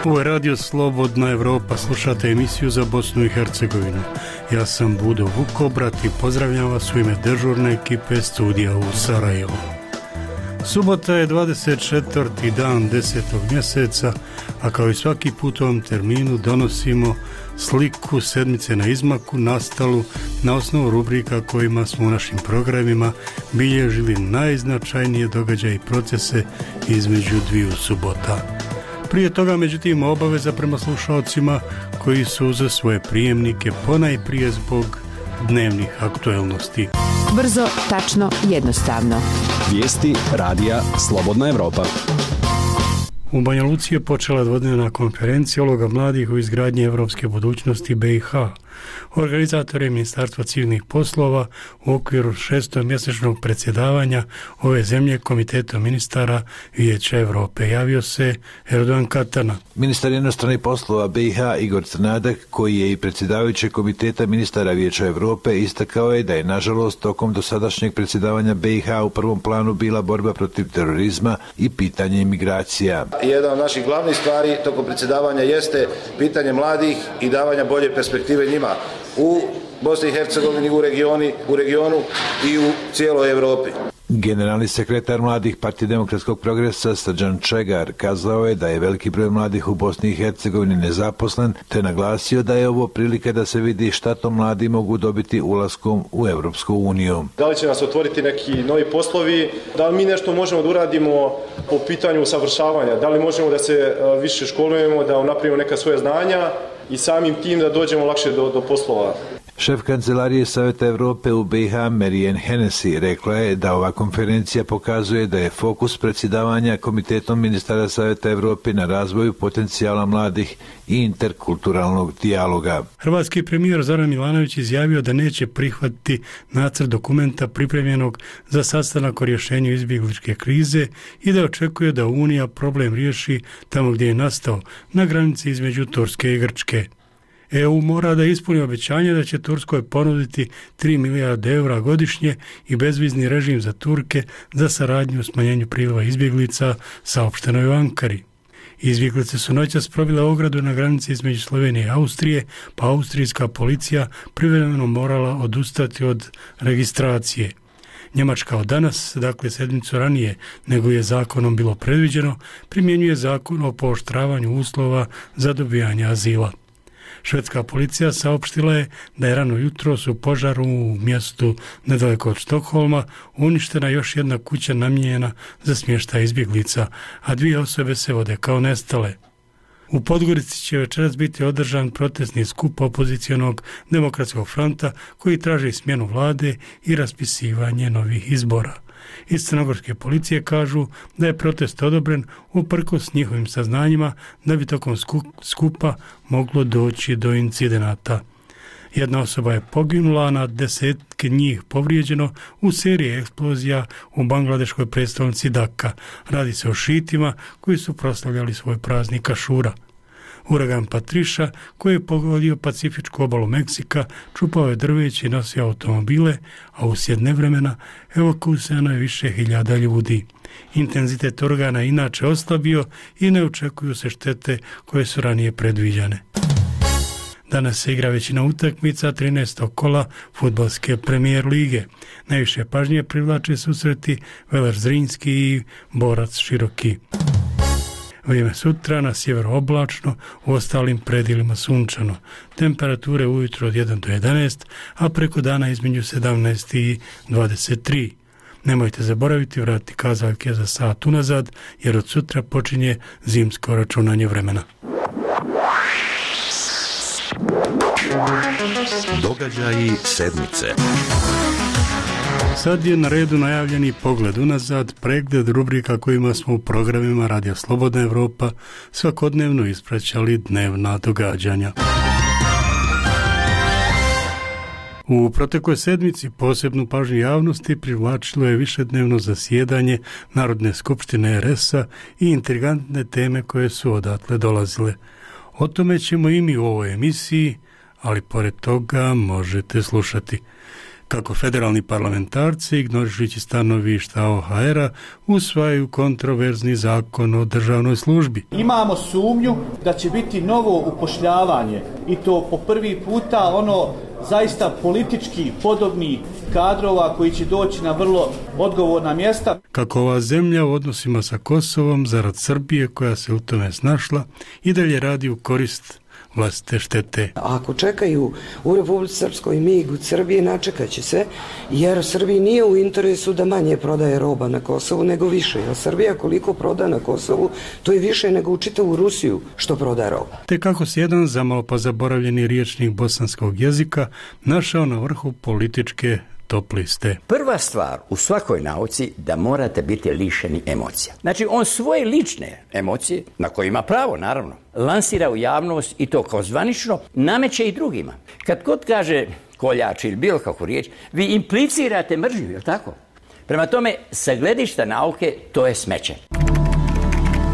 Ovo je Radio Slobodna Evropa, slušate emisiju za Bosnu i Hercegovinu. Ja sam Budo Vukobrat i pozdravljam vas u ime dežurne ekipe studija u Sarajevu. Subota je 24. dan 10. mjeseca, a kao i svaki put u ovom terminu donosimo sliku sedmice na izmaku nastalu na osnovu rubrika kojima smo u našim programima bilježili najznačajnije događaje i procese između dviju subota. Prije toga, međutim, obaveza prema slušalcima koji su za svoje prijemnike ponajprije zbog dnevnih aktuelnosti. Brzo, tačno, jednostavno. Vijesti radija Slobodna Evropa. U Banja Luci je počela dvodnevna konferencija uloga mladih u izgradnji evropske budućnosti BiH. Organizator je Ministarstva civilnih poslova u okviru 6-mjesečnog predsjedavanja ove zemlje Komitetom ministara Vijeća Europe. Javio se Erdogan Katana. Ministar inostranih poslova BiH Igor Crnadak, koji je i predsjedavajući Komiteta ministara Vijeća Europe, istakao je da je nažalost tokom dosadašnjeg predsjedavanja BiH u prvom planu bila borba protiv terorizma i pitanje imigracija. Jedna od naših glavnih stvari tokom predsjedavanja jeste pitanje mladih i davanja bolje perspektive njima u Bosni i Hercegovini, u regionu i u cijeloj Europi. Generalni sekretar mladih Partije demokratskog progresa Srđan Čegar kazao je da je veliki broj mladih u Bosni i Hercegovini nezaposlen, te naglasio da je ovo prilika da se vidi šta to mladi mogu dobiti ulaskom u Europsku uniju. Da li će nas otvoriti neki novi poslovi, da li mi nešto možemo da uradimo po pitanju usavršavanja, da li možemo da se više školujemo, da unaprijedimo neka svoja znanja i samim tim da dođemo lakše do poslova. Šef kancelarije Savjeta Europe u BiH Marianne Hennessy rekla je da ova konferencija pokazuje da je fokus predsjedavanja Komitetom ministara Savjeta Europe na razvoju potencijala mladih i interkulturalnog dijaloga. Hrvatski premijer Zoran Milanović izjavio da neće prihvatiti nacrt dokumenta pripremljenog za sastanak o rješenju izbjegličke krize i da očekuje da Unija problem riješi tamo gdje je nastao, na granici između Turske i Grčke. EU mora da ispuni obećanje da će Turskoj ponuditi 3 milijarde eura godišnje i bezvizni režim za Turke za saradnju u smanjenju priliva izbjeglica, saopšteno je u Ankari. Izbjeglice su noćas probile ogradu na granici između Slovenije i Austrije, pa austrijska policija privremeno morala odustati od registracije. Njemačka od danas, dakle sedmicu ranije nego je zakonom bilo predviđeno, primjenjuje zakon o pooštravanju uslova za dobijanje azila. Švedska policija saopštila je da je rano jutros u požaru u mjestu nedaleko od Štokholma uništena još jedna kuća namijenjena za smještaj izbjeglica, a 2 osobe se vode kao nestale. U Podgorici će večeras biti održan protestni skup opozicionog demokratskog fronta koji traži smjenu vlade i raspisivanje novih izbora. Iz crnogorske policije kažu da je protest odobren uprkos njihovim saznanjima da bi tokom skupa moglo doći do incidenata. Jedna osoba je poginula, a na desetke njih povrijeđeno u seriji eksplozija u bangladeškoj prestolnici Daka. Radi se o šitima koji su proslavljali svoj praznik Ašura. Uragan Patriša, koji je pogodio Pacifičku obalu Meksika, čupao je drveće i nosio automobile, a uslijed nevremena evakuirano je više hiljada ljudi. Intenzitet uragana inače oslabio i ne očekuju se štete koje su ranije predviđane. Danas se igra većina utakmica 13. kola fudbalske premijer lige. Najviše pažnje privlače susreti Veleš Zrinski i Borac Široki. Vrijeme sutra na sjeveru oblačno, u ostalim predjelima sunčano. Temperature ujutro od 1 do 11, a preko dana između 17 i 23. Nemojte zaboraviti vratiti kazaljke za sat unazad, jer od sutra počinje zimsko računanje vremena. Događaji sedmice. Sad je na redu najavljeni pogled unazad, pregled rubrika kojima smo u programima Radija Slobodna Evropa svakodnevno ispraćali dnevna događanja. U protekloj sedmici posebnu pažnju javnosti privlačilo je višednevno zasjedanje Narodne skupštine RS-a i intrigantne teme koje su odatle dolazile. O tome ćemo i mi u ovoj emisiji, ali pored toga možete slušati. kako federalni parlamentarci, ignorišući stanovišta OHR-a, usvajaju kontroverzni zakon o državnoj službi. Imamo sumnju da će biti novo upošljavanje i to po prvi puta zaista politički podobnih kadrova koji će doći na vrlo odgovorna mjesta. Kako ova zemlja u odnosima sa Kosovom zarad Srbije koja se u tome snašla i dalje radi u korist vlastite štete. Ako čekaju u Republici Srpskoj mig od Srbije, načekat će se, jer Srbiji nije u interesu da manje prodaje roba na Kosovu nego više. Jer Srbija koliko proda na Kosovu, to je više nego u čitavu Rusiju što proda roba. Te kako se jedan zamalo pa zaboravljeni riječnik bosanskog jezika našao na vrhu političke top liste. Prva stvar u svakoj nauci da morate biti lišeni emocija. Znači on svoje lične emocije, na koje ima pravo naravno, lansira u javnost i to kao zvanično, nameće i drugima. Kad god kaže koljač ili bilo kakvu riječ, vi implicirate mržnju, je li tako? Prema tome, sa gledišta nauke, to je smeće.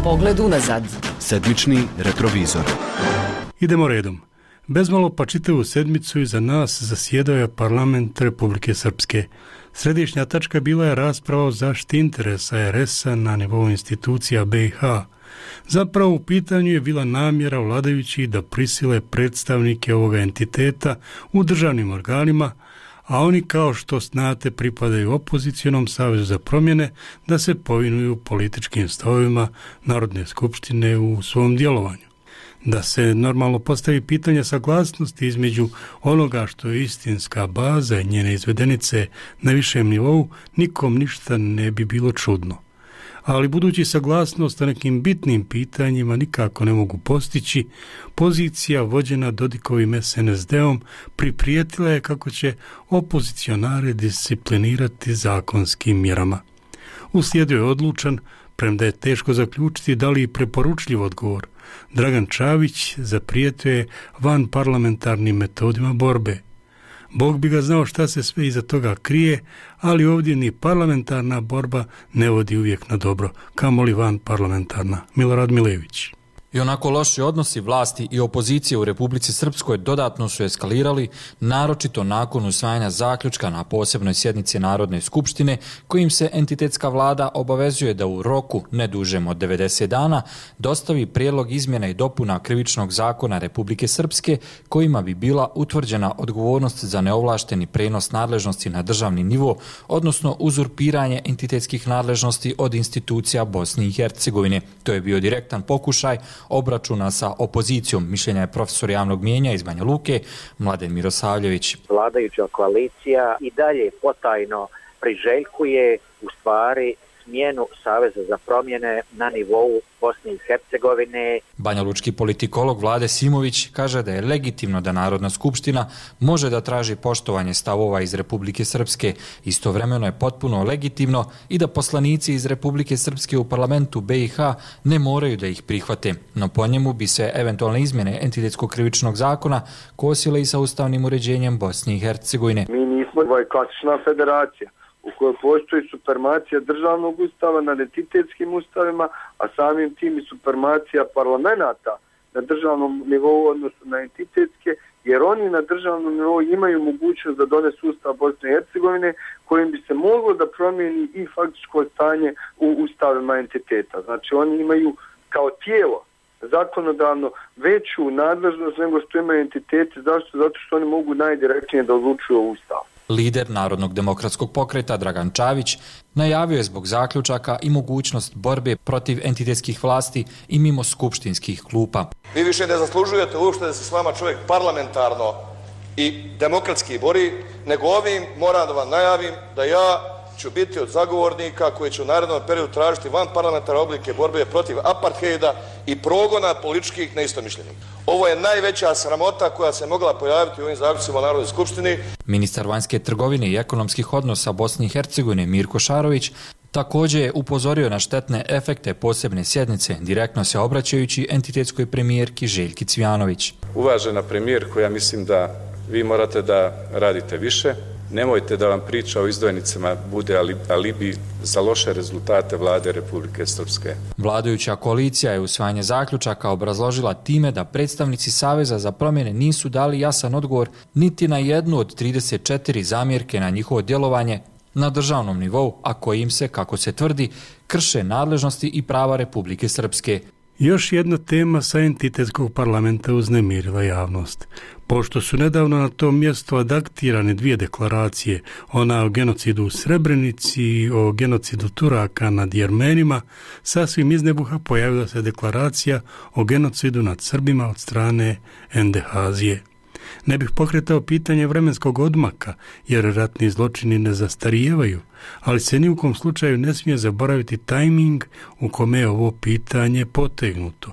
Pogled unazad. Sedmični retrovizor. Idemo redom. Bezmalo pa čitavu sedmicu iza nas zasjedao je parlament Republike Srpske. Središnja tačka bila je rasprava o zaštiti interesa RS-a na nivou institucija BiH. Zapravo u pitanju je bila namjera vladajućih da prisile predstavnike ovoga entiteta u državnim organima, a oni kao što znate pripadaju opozicionom Savezu za promjene da se povinuju političkim stavovima Narodne skupštine u svom djelovanju. Da se normalno postavi pitanje saglasnosti između onoga što je istinska baza i njene izvedenice na višem nivou, nikom ništa ne bi bilo čudno. Ali budući saglasnost na nekim bitnim pitanjima nikako ne mogu postići, pozicija vođena Dodikovim SNSD-om priprijetila je kako će opozicionare disciplinirati zakonskim mjerama. Uslijedio je odlučan, premda je teško zaključiti da li i preporučljiv odgovor. Dragan Čavić zaprijetio je van parlamentarnim metodima borbe. Bog bi ga znao šta se sve iza toga krije, ali ovdje ni parlamentarna borba ne vodi uvijek na dobro, kamoli van parlamentarna. Milorad Milević. I onako loši odnosi vlasti i opozicije u Republici Srpskoj dodatno su eskalirali, naročito nakon usvajanja zaključka na posebnoj sjednici Narodne skupštine, kojim se entitetska vlada obavezuje da u roku ne dužem od 90 dana dostavi prijedlog izmjena i dopuna Krivičnog zakona Republike Srpske, kojima bi bila utvrđena odgovornost za neovlašteni prenos nadležnosti na državni nivo, odnosno uzurpiranje entitetskih nadležnosti od institucija Bosne i Hercegovine. To je bio direktan pokušaj obračuna sa opozicijom, mišljenja je profesor javnog mijenja iz Banja Luke, Mladen Mirosavljević. Vladajuća koalicija i dalje potajno priželjkuje u stvari smjenu Saveza za promjene na nivou Bosne i Hercegovine. Banjalučki politikolog Vlade Simović kaže da je legitimno da Narodna skupština može da traži poštovanje stavova iz Republike Srpske. Istovremeno je potpuno legitimno i da poslanici iz Republike Srpske u parlamentu BiH ne moraju da ih prihvate. No po njemu bi se eventualne izmjene entitetskog krivičnog zakona kosile i sa ustavnim uređenjem Bosne i Hercegovine. Mi nismo klasična federacija u kojoj postoji supremacija državnog ustava nad entitetskim ustavima, a samim tim i supremacija parlamenta na državnom nivou odnosno na entitetske, jer oni na državnom nivou imaju mogućnost da donesu ustav Bosne i Hercegovine kojim bi se moglo da promijeni i faktičko stanje u ustavima entiteta. Znači oni imaju kao tijelo zakonodavno veću nadležnost nego što imaju entiteti. Zašto? Zato što oni mogu najdirektnije da odlučuju o ustavu. Lider Narodnog demokratskog pokreta Dragan Čavić najavio je zbog zaključaka i mogućnost borbe protiv entitetskih vlasti i mimo skupštinskih klupa. Vi više ne zaslužujete uopšte da se s vama čovjek parlamentarno i demokratski bori, nego ovim moram da vam najavim da ja ću biti od zagovornika koji će u narednom periodu tražiti van parlamentarne oblike borbe protiv apartheida i progona političkih neistomišljenika. Ovo je najveća sramota koja se mogla pojaviti u ovim zaključcima u Narodnoj skupštini. Ministar vanjske trgovine i ekonomskih odnosa Bosne i Hercegovine Mirko Šarović također je upozorio na štetne efekte posebne sjednice, direktno se obraćajući entitetskoj premijerki Željki Cvijanović. Uvažena premijerko, ja mislim da vi morate da radite više. Nemojte da vam priča o izdvojnicama bude alibi za loše rezultate vlade Republike Srpske. Vladajuća koalicija je usvajanje zaključaka obrazložila time da predstavnici Saveza za promjene nisu dali jasan odgovor niti na jednu od 34 zamjerke na njihovo djelovanje na državnom nivou, a kojim se, kako se tvrdi, krše nadležnosti i prava Republike Srpske. Još jedna tema sa entitetskog parlamenta uznemirila javnost. Pošto su nedavno na tom mjestu adaktirane dvije deklaracije, ona o genocidu u Srebrenici i o genocidu Turaka nad Jermenima, sasvim iz nebuha pojavila se deklaracija o genocidu nad Srbima od strane NDH-azije. Ne bih pokretao pitanje vremenskog odmaka, jer ratni zločini ne zastarijevaju, ali se ni u kom slučaju ne smije zaboraviti tajming u kome je ovo pitanje potegnuto.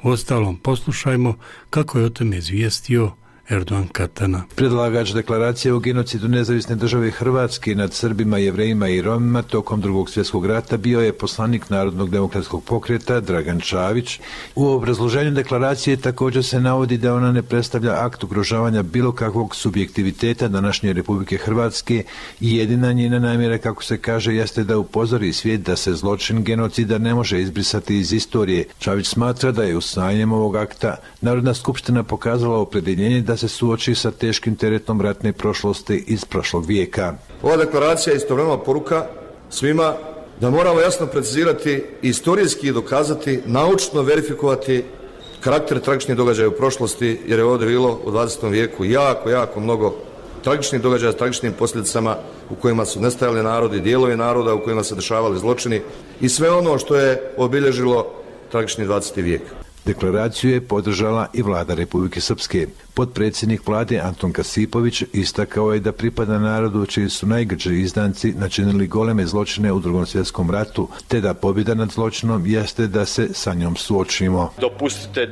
Uostalom, poslušajmo kako je o tome izvijestio Erdogan Katana. Predlagač deklaracije o genocidu nezavisne države Hrvatske nad Srbima, Jevrejima i Romima tokom Drugog svjetskog rata bio je poslanik Narodnog demokratskog pokreta Dragan Čavić. U obrazloženju deklaracije također se navodi da ona ne predstavlja akt ugrožavanja bilo kakvog subjektiviteta današnje Republike Hrvatske i jedina njena namjera, kako se kaže, jeste da upozori svijet da se zločin genocida ne može izbrisati iz istorije. Čavić smatra da je usvajanjem ovog akta Narodna skupština pokazala opredjeljenje da se suoči sa teškim teretom ratne prošlosti iz prošlog vijeka. Ova deklaracija je istovremeno poruka svima da moramo jasno precizirati i istorijski dokazati, naučno verifikovati karakter tragičnih događaja u prošlosti, jer je ovdje bilo u 20. vijeku jako mnogo tragičnih događaja s tragičnim posljedicama u kojima su nestajali narodi, dijelovi naroda u kojima se dešavali zločini i sve ono što je obilježilo tragični 20. vijek. Deklaraciju je podržala i vlada Republike Srpske. Potpredsjednik vlade Anton Kasipović istakao je da pripada narodu čiji su najgrđi izdanci načinili goleme zločine u Drugom svjetskom ratu, te da pobjeda nad zločinom jeste da se sa njom suočimo. Dopustite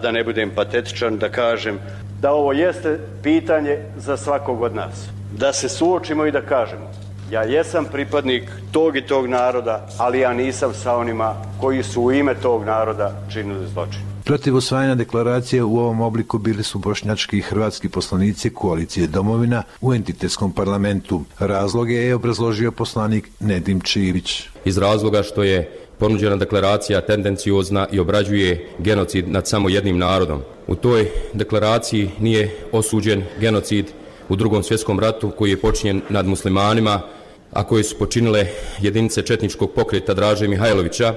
da ne budem patetičan, da kažem da ovo jeste pitanje za svakog od nas. Da se suočimo i da kažemo: ja jesam pripadnik tog i tog naroda, ali ja nisam sa onima koji su u ime tog naroda činili zločin. Protiv usvajanja deklaracije u ovom obliku bili su bošnjački i hrvatski poslanici koalicije Domovina u entitetskom parlamentu. Razloge je obrazložio poslanik Nedim Čivić. Iz razloga što je ponuđena deklaracija tendenciozna i obrađuje genocid nad samo jednim narodom. U toj deklaraciji nije osuđen genocid u Drugom svjetskom ratu koji je počinjen nad muslimanima, a koje su počinile jedinice četničkog pokreta Draže Mihajlovića.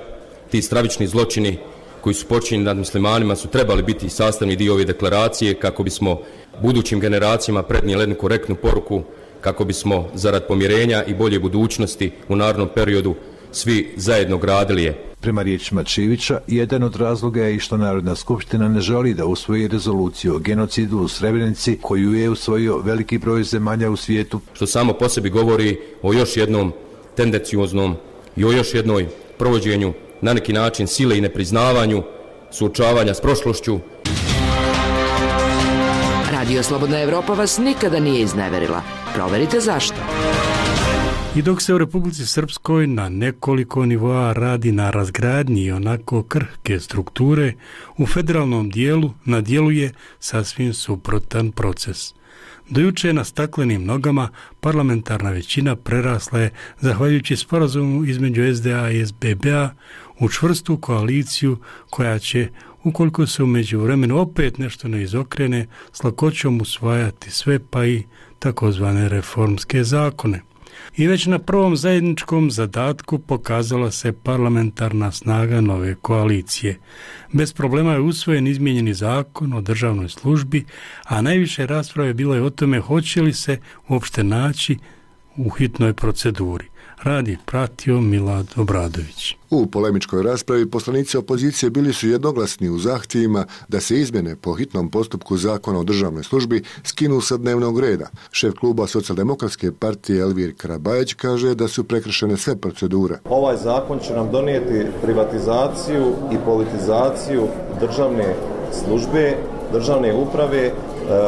Ti stravični zločini koji su počinjeni nad muslimanima su trebali biti sastavni dio ove deklaracije kako bismo budućim generacijama prenijeli jednu korektnu poruku, kako bismo zarad pomirenja i bolje budućnosti u narednom periodu svi zajedno gradili je. Prema riječima Čivića, jedan od razloga je i što Narodna skupština ne želi da usvoji rezoluciju o genocidu u Srebrenici koju je usvojio veliki broj zemalja u svijetu. Što samo po sebi govori o još jednom tendencioznom i o još jednoj provođenju na neki način sile i nepriznavanju suočavanja s prošlošću. Radio Slobodna Evropa vas nikada nije izneverila. Proverite zašto. I dok se u Republici Srpskoj na nekoliko nivoa radi na razgradnji onako krhke strukture, u federalnom dijelu na djelu je sasvim suprotan proces. Do juče na staklenim nogama parlamentarna većina prerasla je, zahvaljujući sporazumu između SDA i SBB-a, u čvrstu koaliciju koja će, ukoliko se u međuvremenu opet nešto ne izokrene, s lakoćom usvajati sve, pa i takozvane reformske zakone. I već na prvom zajedničkom zadatku pokazala se parlamentarna snaga nove koalicije. Bez problema je usvojen izmijenjeni zakon o državnoj službi, a najviše rasprave bilo je o tome hoće li se uopšte naći u hitnoj proceduri. Radi pratio Milad Obradović. U polemičkoj raspravi poslanici opozicije bili su jednoglasni u zahtjevima da se izmjene po hitnom postupku zakona o državnoj službi skinu sa dnevnog reda. Šef kluba Socijaldemokratske partije Elvir Karabajać kaže da su prekršene sve procedure. Ovaj zakon će nam donijeti privatizaciju i politizaciju državne službe, državne uprave,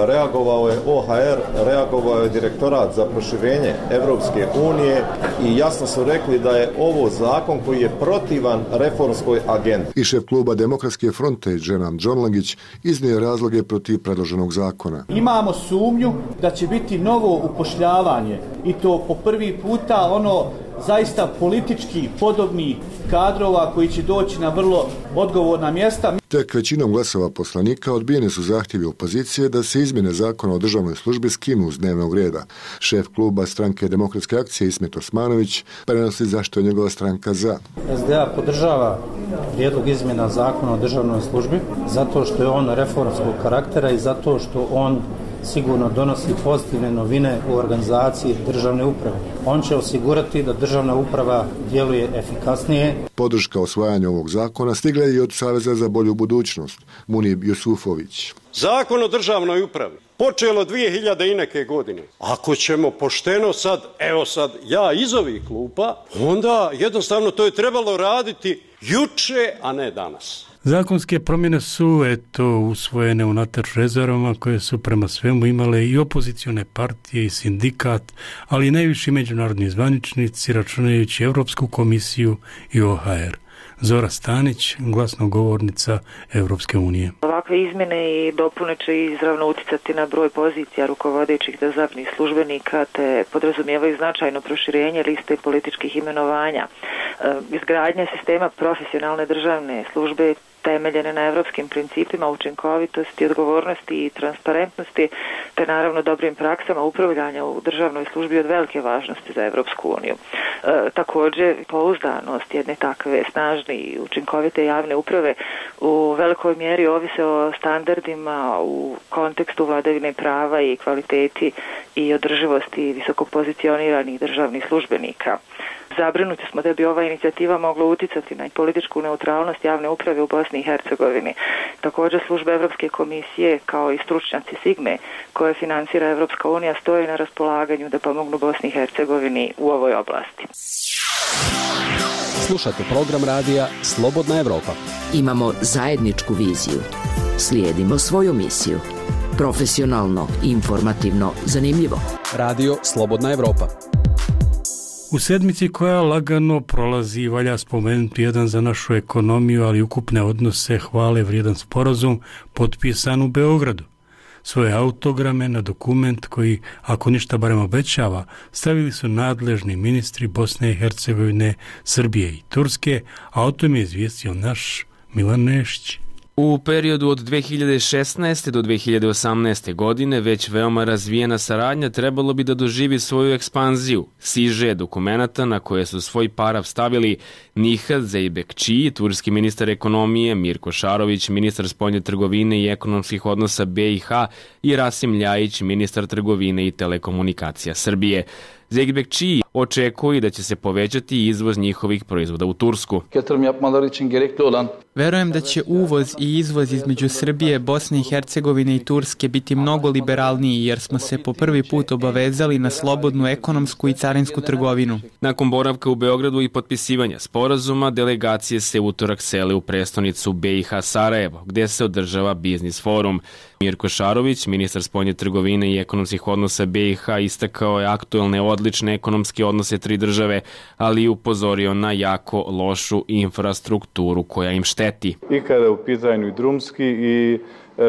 reagovao je OHR, reagovao je Direktorat za proširenje Evropske unije i jasno su rekli da je ovo zakon koji je protivan reformskoj agendi. I šef kluba Demokratske fronte Dženan Džonlagić iznio razloge protiv predloženog zakona. Imamo sumnju da će biti novo upošljavanje i to po prvi puta zaista politički podobni kadrova koji će doći na vrlo odgovorna mjesta. Tek većinom glasova poslanika odbijeni su zahtjevi opozicije da se izmjene zakona o državnoj službi skinu s dnevnog reda. Šef kluba stranke Demokratske akcije Ismet Osmanović prenosi zašto je njegova stranka za. SDA podržava prijedlog izmjena zakona o državnoj službi zato što je on reformskog karaktera i zato što on sigurno donosi pozitivne novine u organizaciji državne uprave. On će osigurati da državna uprava djeluje efikasnije. Podrška osvajanju ovog zakona stigla je i od Saveza za bolju budućnost, Munib Jusufović. Zakon o državnoj upravi počelo 2000 i neke godine. Ako ćemo pošteno sad ja iz ovih klupa, onda jednostavno to je trebalo raditi juče, a ne danas. Zakonske promjene su usvojene unatoč rezervama koje su prema svemu imale i opozicione partije i sindikat, ali i najviši međunarodni zvaničnici računajući Europsku komisiju i OHR. Zora Stanić, glasnogovornica Europske unije. Ovakve izmjene i dopune će izravno uticati na broj pozicija rukovodećih državnih službenika te podrazumijevaju značajno proširenje liste političkih imenovanja. Izgradnja sistema profesionalne državne službe temeljene na europskim principima učinkovitosti, odgovornosti i transparentnosti, te naravno dobrim praksama upravljanja u državnoj službi od velike važnosti za Europsku uniju. Također, pouzdanost jedne takve snažne i učinkovite javne uprave u velikoj mjeri ovise o standardima u kontekstu vladavine prava i kvaliteti i održivosti visoko pozicioniranih državnih službenika. Zabrinuti smo da bi ova inicijativa mogla uticati na političku neutralnost javne uprave u Bosni i Hercegovini. Također službe Europske komisije kao i stručnjaci Sigme koje financira Europska unija stoje na raspolaganju da pomognu Bosni i Hercegovini u ovoj oblasti. Slušate program radija Slobodna Evropa. Imamo zajedničku viziju. Slijedimo svoju misiju. Profesionalno, informativno, zanimljivo. Radio Slobodna Evropa. U sedmici koja lagano prolazi, valja spomenuti jedan za našu ekonomiju, ali ukupne odnose hvale vrijedan sporazum potpisan u Beogradu. Svoje autograme na dokument koji, ako ništa barem obećava, stavili su nadležni ministri Bosne i Hercegovine, Srbije i Turske, a o tome je izvijestio naš Milan Nešić. U periodu od 2016. do 2018. godine već veoma razvijena saradnja trebalo bi da doživi svoju ekspanziju. Siže dokumenata na koje su svoj parav stavili Nihat Zeybekçi, turski ministar ekonomije, Mirko Šarović, ministar spoljne trgovine i ekonomskih odnosa BiH i Rasim Ljajić, ministar trgovine i telekomunikacija Srbije. Zeybekçi očekuje da će se povećati izvoz njihovih proizvoda u Tursku. Verujem da će uvoz i izvoz između Srbije, Bosne i Hercegovine i Turske biti mnogo liberalniji jer smo se po prvi put obavezali na slobodnu ekonomsku i carinsku trgovinu. Nakon boravka u Beogradu i potpisivanja sporazuma, delegacije se utorak sele u prestonicu BiH Sarajevo, gdje se održava biznis forum. Mirko Šarović, ministar spoljne trgovine i ekonomskih odnosa BiH, istakao je aktuelne odlične ekonomske odnose tri države, ali i upozorio na jako lošu infrastrukturu koja im šteti. I kada je u pitanju i drumski i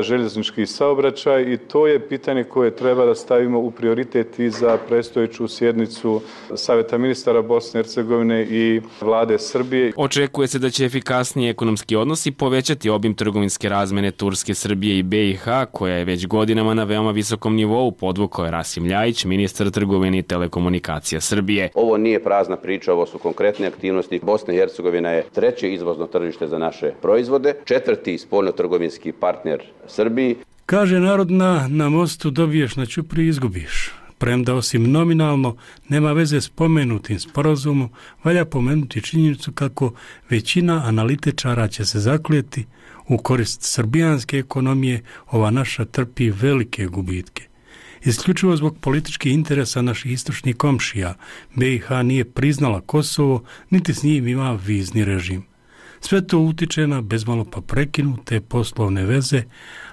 željeznički saobraćaj i to je pitanje koje treba da stavimo u prioritet i za predstojeću sjednicu Saveta ministara Bosne i Hercegovine i vlade Srbije. Očekuje se da će efikasniji ekonomski odnosi povećati obim trgovinske razmene Turske, Srbije i BiH, koja je već godinama na veoma visokom nivou, podvukao je Rasim Ljajić, ministar trgovine i telekomunikacija Srbije. Ovo nije prazna priča, ovo su konkretne aktivnosti. Bosna i Hercegovina je treće izvozno tržište za naše proizvode, četvrti spoljnotrgovinski partner Srbiji. Kaže narodna, na mostu dobiješ, na ćupriji izgubiš. Premda osim nominalno nema veze s pomenutim sporazumom, valja pomenuti činjenicu kako većina analitičara će se zaklijeti u korist srbijanske ekonomije, ova naša trpi velike gubitke. Isključivo zbog političkih interesa naših istočnih komšija, BiH nije priznala Kosovo, niti s njim ima vizni režim. Sve to utiče na bezmalo pa prekinute poslovne veze,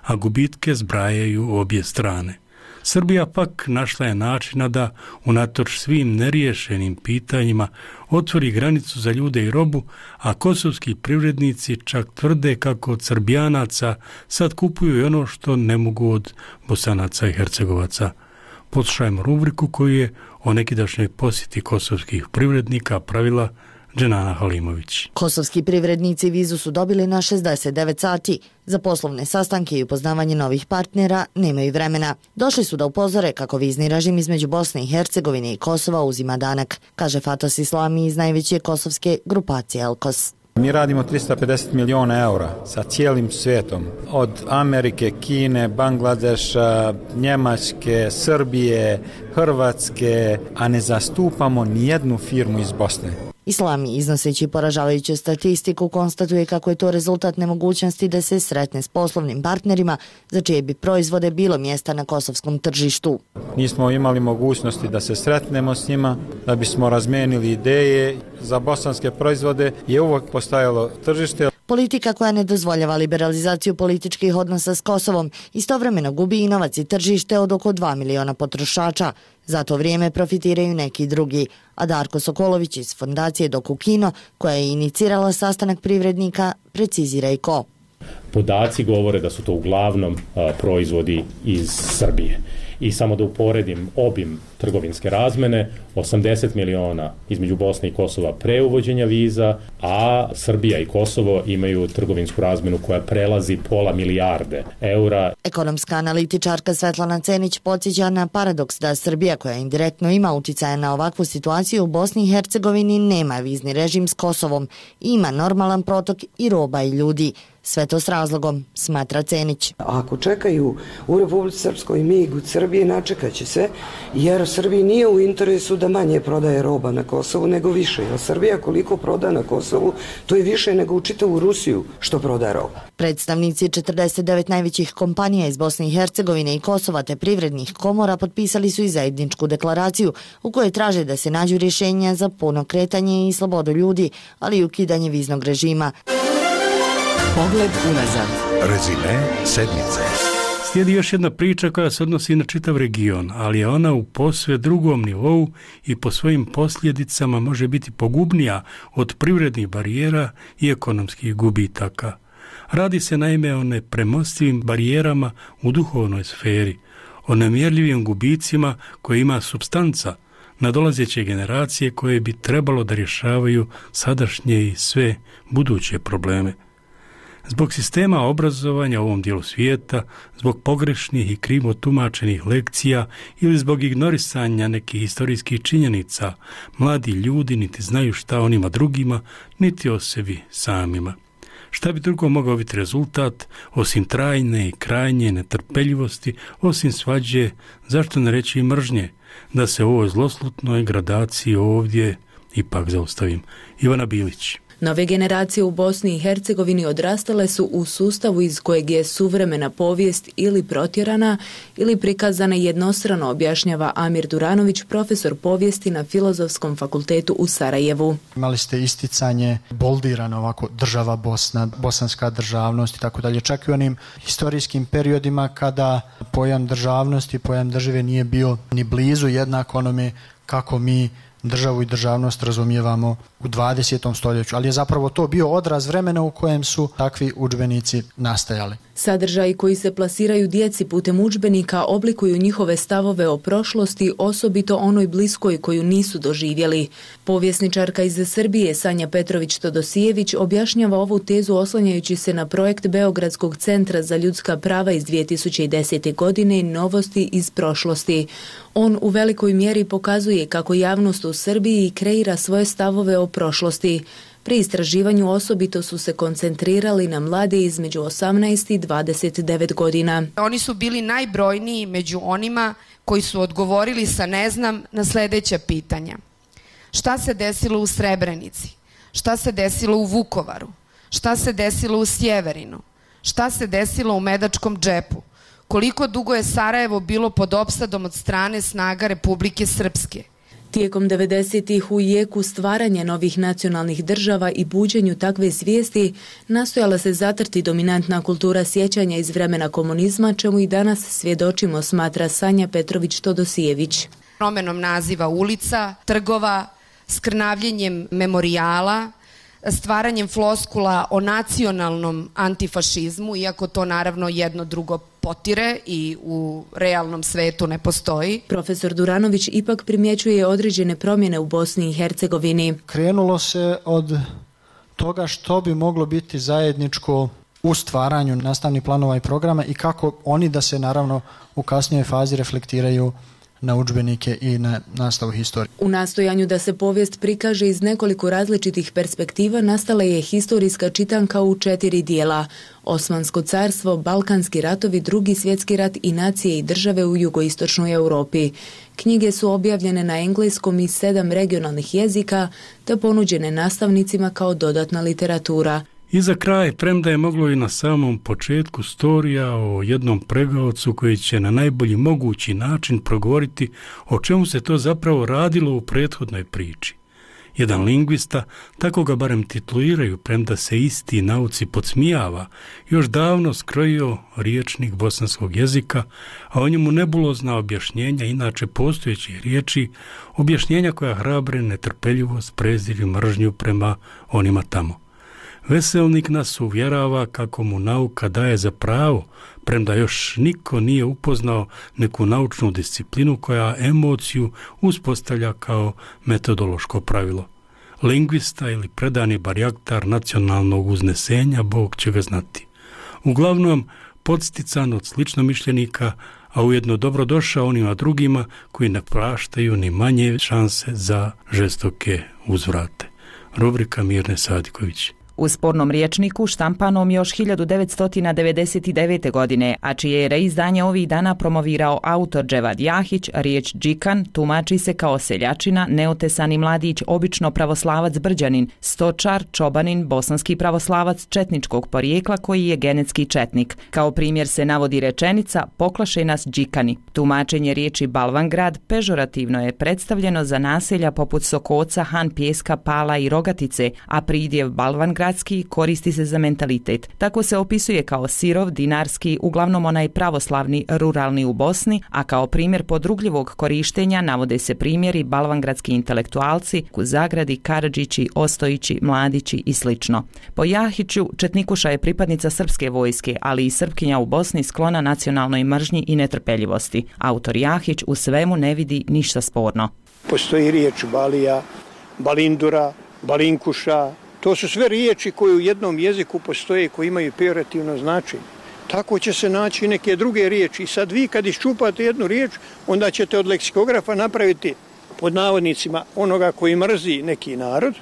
a gubitke zbrajaju obje strane. Srbija pak našla je načina da, unatoč svim neriješenim pitanjima, otvori granicu za ljude i robu, a kosovski privrednici čak tvrde kako od Srbijanaca sad kupuju i ono što ne mogu od Bosanaca i Hercegovaca. Poslušajmo rubriku koju je o nekidašnjoj posjeti kosovskih privrednika pravila Dženana Halimović. Kosovski privrednici vizu su dobili na 69 sati. Za poslovne sastanke i upoznavanje novih partnera nemaju vremena. Došli su da upozore kako vizni režim između Bosne i Hercegovine i Kosova uzima danak, kaže Fatos Islami iz najveće kosovske grupacije Elkos. Mi radimo 350 miliona eura sa cijelim svijetom, od Amerike, Kine, Bangladeša, Njemačke, Srbije, Hrvatske, a ne zastupamo nijednu firmu iz Bosne. Islami, iznoseći poražavajuću statistiku, konstatuje kako je to rezultat nemogućnosti da se sretne s poslovnim partnerima za čije bi proizvode bilo mjesta na kosovskom tržištu. Nismo imali mogućnosti da se sretnemo s njima, da bismo razmenili ideje. Za bosanske proizvode je uvijek postojalo tržište. Politika koja ne dozvoljava liberalizaciju političkih odnosa s Kosovom istovremeno gubi i novac i tržište od oko 2 miliona potrošača. Za to vrijeme profitiraju neki drugi, a Darko Sokolović iz fondacije Dokukino, koja je inicirala sastanak privrednika, precizira i ko. Podaci govore da su to uglavnom proizvodi iz Srbije. I samo da uporedim obim trgovinske razmene, 80 miliona između Bosne i Kosova pre uvođenja viza, a Srbija i Kosovo imaju trgovinsku razmenu koja prelazi pola milijarde eura. Ekonomska analitičarka Svetlana Cenić podsjeća na paradoks da Srbija, koja indirektno ima uticaja na ovakvu situaciju u Bosni i Hercegovini, nema vizni režim s Kosovom, ima normalan protok i roba i ljudi. Sve to s razlogom, smatra Cenić. Ako čekaju u Republici Srpskoj mig od Srbije, načekat će se, jer Srbiji nije u interesu da manje prodaje roba na Kosovu nego više. Jer Srbija koliko proda na Kosovu, to je više nego u čitavu Rusiju što proda roba. Predstavnici 49 najvećih kompanija iz Bosne i Hercegovine i Kosova te privrednih komora potpisali su i zajedničku deklaraciju u kojoj traže da se nađu rješenja za puno kretanje i slobodu ljudi, ali i ukidanje viznog režima. Pogled unazad. Rezime sedmice. Slijedi još jedna priča koja se odnosi na čitav region, ali je ona u posve drugom nivou i po svojim posljedicama može biti pogubnija od privrednih barijera i ekonomskih gubitaka. Radi se naime o nepremostivim barijerama u duhovnoj sferi, o nemjerljivim gubicima koje ima supstanca, nadolazeće generacije koje bi trebalo da rješavaju sadašnje i sve buduće probleme. Zbog sistema obrazovanja u ovom dijelu svijeta, zbog pogrešnih i krivo tumačenih lekcija ili zbog ignorisanja nekih historijskih činjenica, mladi ljudi niti znaju šta onima drugima, niti o sebi samima. Šta bi drugo mogao biti rezultat, osim trajne i krajnje netrpeljivosti, osim svađe, zašto ne reći i mržnje, da se u ovoj zloslutnoj gradaciji ovdje ipak zaustavim. Ivana Bilić. Nove generacije u Bosni i Hercegovini odrastale su u sustavu iz kojeg je suvremena povijest ili protjerana ili prikazana jednostrano, objašnjava Amir Duranović, profesor povijesti na Filozofskom fakultetu u Sarajevu. Imali ste isticanje boldirano ovako država Bosna, bosanska državnost i tako dalje, čak i u onim historijskim periodima kada pojam državnosti, pojam države nije bio ni blizu jednak onome kako mi državu i državnost razumijevamo u 20. stoljeću, ali je zapravo to bio odraz vremena u kojem su takvi udžbenici nastajali. Sadržaji koji se plasiraju djeci putem udžbenika oblikuju njihove stavove o prošlosti, osobito onoj bliskoj koju nisu doživjeli. Povjesničarka iz Srbije Sanja Petrović-Todosijević objašnjava ovu tezu oslanjajući se na projekt Beogradskog centra za ljudska prava iz 2010. godine Novosti iz prošlosti. On u velikoj mjeri pokazuje kako javnost u Srbiji kreira svoje stavove o prošlosti. Pri istraživanju osobito su se koncentrirali na mlade između 18 i 29 godina. Oni su bili najbrojniji među onima koji su odgovorili sa ne znam na sljedeća pitanja. Šta se desilo u Srebrenici? Šta se desilo u Vukovaru? Šta se desilo u Sjeverinu? Šta se desilo u Medačkom džepu? Koliko dugo je Sarajevo bilo pod opsadom od strane snaga Republike Srpske? Tijekom 90-ih u jeku stvaranja novih nacionalnih država i buđenju takve svijesti nastojala se zatrti dominantna kultura sjećanja iz vremena komunizma, čemu i danas svjedočimo, smatra Sanja Petrović-Todosijević. Promjenom naziva ulica, trgova, skrnavljenjem memorijala, stvaranjem floskula o nacionalnom antifašizmu, iako to naravno jedno drugo potire i u realnom svetu ne postoji. Profesor Duranović ipak primjećuje određene promjene u Bosni i Hercegovini. Krenulo se od toga što bi moglo biti zajedničko u stvaranju nastavnih planova i programa i kako oni da se naravno u kasnijoj fazi reflektiraju na udžbenike i na nastavu historije. U nastojanju da se povijest prikaže iz nekoliko različitih perspektiva nastala je historijska čitanka u 4 dijela: Osmansko carstvo, Balkanski ratovi, Drugi svjetski rat i nacije i države u jugoistočnoj Europi. Knjige su objavljene na engleskom i 7 regionalnih jezika te ponuđene nastavnicima kao dodatna literatura. I za kraj, premda je moglo i na samom početku storija o jednom pregaocu koji će na najbolji mogući način progovoriti o čemu se to zapravo radilo u prethodnoj priči. Jedan lingvista, tako ga barem tituliraju, premda se isti nauci podsmijava, još davno skrojio riječnik bosanskog jezika, a o njemu nebulozna objašnjenja inače postojećih riječi, objašnjenja koja hrabre netrpeljivost, prezir i mržnju prema onima tamo. Veselnik nas uvjerava kako mu nauka daje za pravo, premda još niko nije upoznao neku naučnu disciplinu koja emociju uspostavlja kao metodološko pravilo. Lingvista ili predani barjaktar nacionalnog uznesenja, Bog će ga znati. Uglavnom, podstican od sličnomišljenika, a ujedno dobrodošao onima drugima koji ne praštaju ni manje šanse za žestoke uzvrate. Rubrika Mirne Sadiković. U spornom rječniku štampanom još 1999. godine, a čije je reizdanje ovih dana promovirao autor Dževad Jahić, riječ džikan tumači se kao seljačina, neotesani mladić, obično pravoslavac Brđanin, stočar, čobanin, bosanski pravoslavac četničkog porijekla koji je genetski četnik. Kao primjer se navodi rečenica poklaše nas džikani. Tumačenje riječi Balvangrad pežorativno je predstavljeno za naselja poput Sokoca, Han Pjeska, Pala i Rogatice, a pridjev Balvangrad koristi se za mentalitet. Tako se opisuje kao sirov, dinarski, uglavnom onaj pravoslavni, ruralni u Bosni, a kao primjer podrugljivog korištenja navode se primjeri balvangradski intelektualci, Kuzagradi, Karadžići, Ostojići, Mladići i slično. Po Jahiću, Četnikuša je pripadnica srpske vojske, ali i Srpkinja u Bosni sklona nacionalnoj mržnji i netrpeljivosti. Autor Jahić u svemu ne vidi ništa sporno. Postoji riječ balija, balindura, balinkuša. To su sve riječi koje u jednom jeziku postoje, koji imaju pejorativno značenje. Tako će se naći neke druge riječi. I sad vi kad iščupate jednu riječ, onda ćete od leksikografa napraviti pod navodnicima onoga koji mrzi neki narod,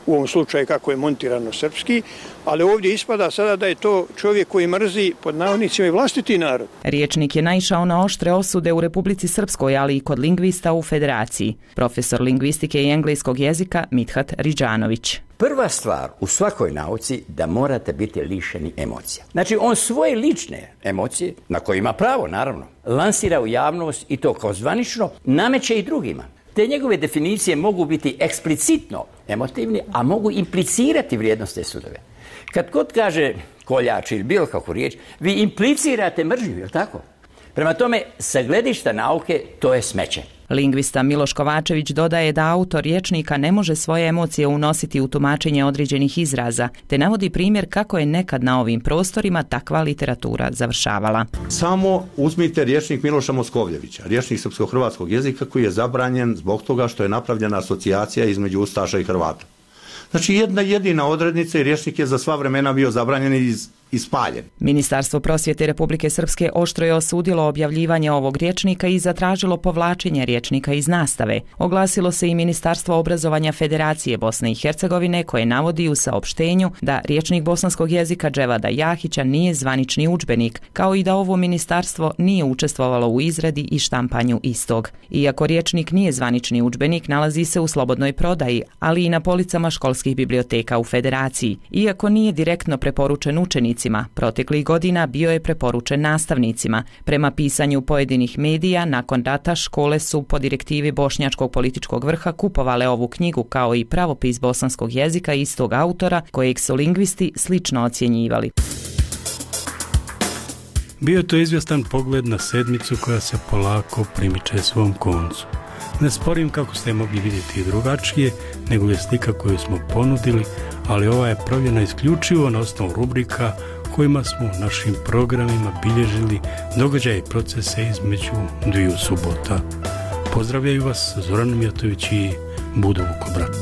u ovom slučaju kako je montirano srpski, ali ovdje ispada sada da je to čovjek koji mrzi pod navodnicima i vlastiti narod. Riječnik je naišao na oštre osude u Republici Srpskoj, ali i kod lingvista u Federaciji. Profesor lingvistike i engleskog jezika Mithat Ridžanović. Prva stvar u svakoj nauci da morate biti lišeni emocija. Znači on svoje lične emocije, na koje ima pravo naravno, lansira u javnost i to kao zvanično nameće i drugima. Te njegove definicije mogu biti eksplicitno emotivni, a mogu implicirati vrijednosne sudove. Kad god kaže koljač ili bilo kakvu riječ, vi implicirate mržnju, je li tako? Prema tome, sa gledišta nauke, to je smeće. Lingvista Miloš Kovačević dodaje da autor rječnika ne može svoje emocije unositi u tumačenje određenih izraza, te navodi primjer kako je nekad na ovim prostorima takva literatura završavala. Samo uzmite rječnik Miloša Moskovljevića, rječnik srpsko-hrvatskog jezika koji je zabranjen zbog toga što je napravljena asocijacija između Ustaša i Hrvata. Znači jedna jedina odrednica i rječnik je za sva vremena bio zabranjen i spaljen. Ministarstvo prosvjete Republike Srpske oštro je osudilo objavljivanje ovog rječnika i zatražilo povlačenje rječnika iz nastave. Oglasilo se i Ministarstvo obrazovanja Federacije Bosne i Hercegovine koje navodi u saopštenju da rječnik bosanskog jezika Dževada Jahića nije zvanični udžbenik, kao i da ovo ministarstvo nije učestvovalo u izradi i štampanju istog. Iako rječnik nije zvanični udžbenik, nalazi se u slobodnoj prodaji, ali i na policama školskih biblioteka u Federaciji. Iako nije direktno preporučen učenicima, učenicima. Proteklih godina bio je preporučen nastavnicima. Prema pisanju pojedinih medija, nakon rata škole su po direktivi bošnjačkog političkog vrha kupovale ovu knjigu kao i pravopis bosanskog jezika istog autora kojeg su lingvisti slično ocjenjivali. Bio je to izvjestan pogled na sedmicu koja se polako primiče svom koncu. Ne sporim kako ste mogli vidjeti i drugačije, nego je slika koju smo ponudili, ali ova je pravljena isključivo na osnovu rubrika kojima smo u našim programima bilježili događaje i procese između dviju subota. Pozdravljaju vas Zoran Mijatović i Budo Vukobrat.